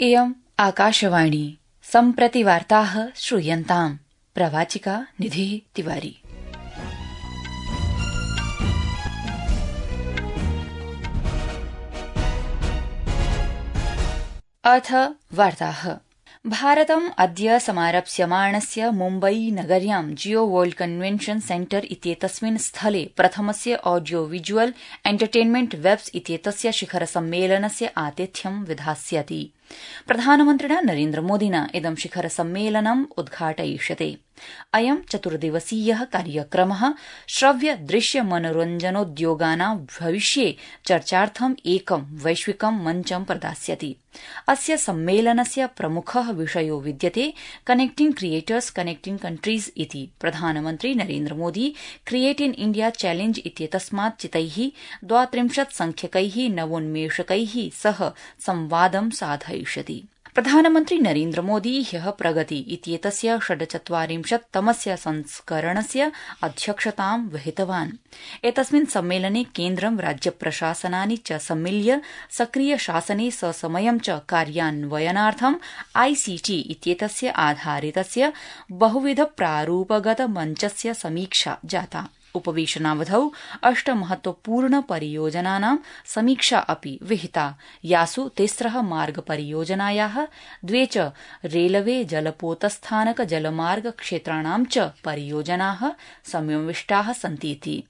इयम् आकाशवाणी सम्प्रति वार्ताः श्रूयन्ताम्। प्रवाचिका निधिः तिवारी। अथ वार्ताः। भारतम् अद्य समारप्स्यमाणस्य मुम्बई नगर्यां जियो वर्ल्ड कन्वेन्शन सेन्टर इत्येतस्मिन् स्थले प्रथमस्य ऑडियो विजुअल एन्टरटेनमेंट वेब्स इत्येतस्य शिखर सम्मेलनस्य आतिथ्यं विधास्यति। प्रधानमन्त्रिणा नरेन्द्रमोदिना इदं शिखर सम्मेलनम् उद्घाटयिष्यते। अयं चतुर्दिवसीयः कार्यक्रमः श्रव्य दृश्य मनोरञ्जनोद्योगानां भविष्ये चर्चार्थम् एकं वैश्विकं मञ्चं प्रदास्यति। अस्य सम्मेलनस्य प्रमुखः विषयो विद्यते कनेक्टिंग क्रिएटर्स कनेक्टिंग कंट्रीज इति। प्रधानमन्त्री Narendra Modi create in India challenge इत्येतस्मात् चितैः 32 संख्यकैः नवोन्मेषकैः सह संवादं साधयिष्यति। प्रधानमन्त्री नरेन्द्रमोदी ह्यः प्रगति इत्येतस्य 46तमस्य संस्करणस्य अध्यक्षतां वहितवान्। एतस्मिन् सम्मेलने केन्द्रं राज्यप्रशासनानि च सम्मिल्य सक्रिय शासने ससमयं च कार्यान्वयनार्थं आईसीटी इत्येतस्य आधारितस्य बहुविध प्रारूपगत मञ्चस्य समीक्षा जाता। उपवेशनावधौ 8 महत्वपूर्ण परियोजनानां समीक्षा अपि विहिता, यासु 3 मार्ग परियोजनायाः, 2 च रेलवे जलपोतस्थानक जलमार्ग क्षेत्राणां च परियोजनाः समाविष्टाः सन्तीति।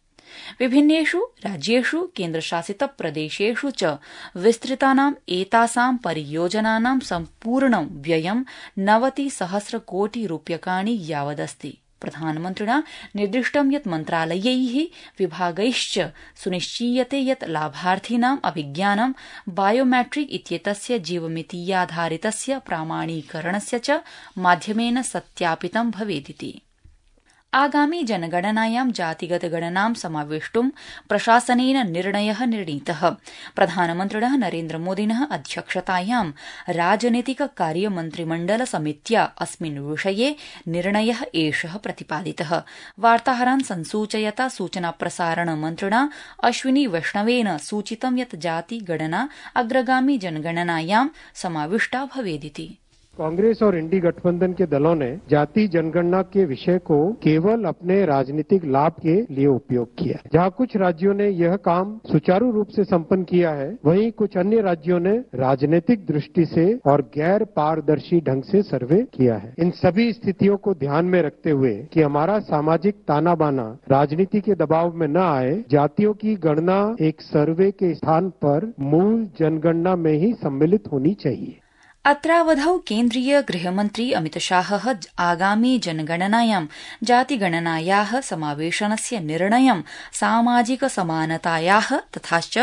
विभिन्नेषु राज्येषु केन्द्रशासित प्रदेशेषु च विस्तृतानां एतासां परियोजनानां सम्पूर्णं व्ययं 90,000 कोटि रूप्यकाणि यावदस्ति। प्रधानमन्त्रिणा निर्दिष्टं यत् मन्त्रालयैः विभागैश्च सुनिश्चीयते यत् लाभार्थिनाम् अभिज्ञानं बायोमेट्रिक इत्येतस्य जीवमितीयाधारितस्य प्रामाणीकरणस्य च माध्यमेन सत्यापितं भवेदिति। आगामी जनगणनायां जातिगत गणनां समावेष्टुं प्रशासनेन निर्णयः निर्णीतः। प्रधानमन्त्रिणः नरेन्द्रमोदिनः अध्यक्षतायां राजनीतिक कार्यमन्त्रिमण्डल समित्या अस्मिन् विषये निर्णयः एषः प्रतिपादितः। वार्ताहरान् संसूचयता सूचना प्रसारण मन्त्रिणा अश्विनी वैष्णवेन सूचितं यत् जातिगणना अग्रगामी जनगणनायां समाविष्टा भवेदिति। कांग्रेस और इंडी गठबंधन के दलों ने जाति जनगणना के विषय को केवल अपने राजनीतिक लाभ के लिए उपयोग किया। जहां कुछ राज्यों ने यह काम सुचारू रूप से संपन्न किया है, वहीं कुछ अन्य राज्यों ने राजनीतिक दृष्टि से और गैर पारदर्शी ढंग से सर्वे किया है। इन सभी स्थितियों को ध्यान में रखते हुए कि हमारा सामाजिक ताना बाना राजनीति के दबाव में न आए, जातियों की गणना एक सर्वे के स्थान पर मूल जनगणना में ही सम्मिलित होनी चाहिए। अत्रावधौ केन्द्रीय गृहमन्त्री अमितशाहः आगामी जनगणनायां जातिगणनायाः समावेशनस्य निर्णयं सामाजिक समानतायाः तथाच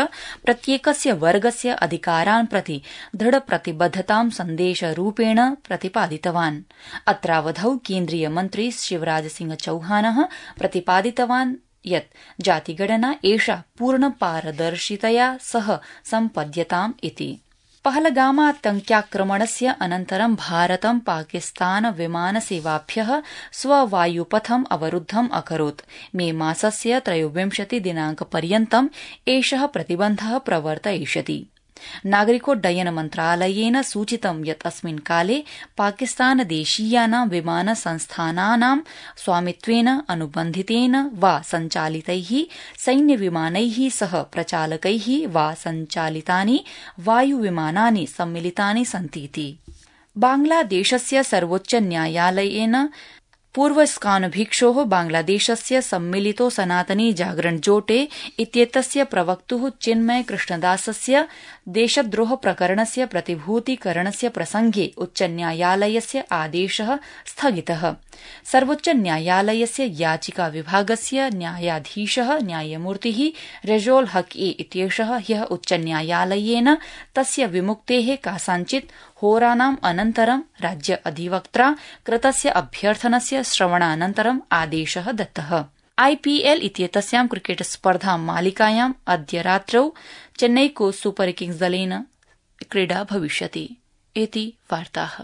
प्रत्येकस्य वर्गस्य अधिकारान् प्रति दृढप्रतिबद्धतां सन्देशरूपेण प्रतिपादितवान्। अत्रावधौ केन्द्रीय मन्त्री शिवराज सिंह चौहानः प्रतिपादितवान् यत् जातिगणना एषा पूर्णपारदर्शितया सह सम्पद्यताम् इति। पहलगामातङ्क्याक्रमणस्य अनन्तरं भारतं पाकिस्तान विमानसेवाभ्यः स्ववायुपथम् अवरुद्धम् अकरोत्। मे मासस्य 23 दिनाङ्कपर्यन्तम् एषः प्रतिबन्धः प्रवर्तयिष्यति। नागरिकोड्डयन मन्त्रालयेन सूचितं यत् अस्मिन् काले पाकिस्तानदेशीयानां विमानसंस्थानानां स्वामित्वेन अनुबन्धितेन वा सञ्चालितैः सैन्यविमानैः सह प्रचालकैः वा सञ्चालितानि वायुविमानानि सम्मिलितानि सन्तीति। बांग्लादेशस्य सर्वोच्च न्यायालयेन पूर्वस्कानभिक्षोः बांग्लादेशस्य सम्मिलितो सनातनी जागरण जोटे इत्येतस्य प्रवक्तुः चिन्मय कृष्णदासस्य देशद्रोह प्रकरणस्य प्रतिभूतीकरणस्य प्रसंगे उच्चन्यायालयस्य आदेशः स्थगितः। सर्वोच्च न्यायालयस्य याचिका विभागस्य न्यायाधीशः न्यायमूर्तिः रेजोल हक इत्येषः ह्यः उच्चन्यायालयेन तस्य विमुक्तेः कासाञ्चित् होरानाम् अनन्तरं राज्य अधिवक्त्रा कृतस्य अभ्यर्थनस्य श्रवणानन्तरम् आदेशः दत्तः। आईपीएल इत्येतस्यां क्रिकेट स्पर्धा मालिकायाम् अद्य रात्रौ चेन्नई को सुपर किंग्स दलेन क्रीडा भविष्यति। इति वार्ताः।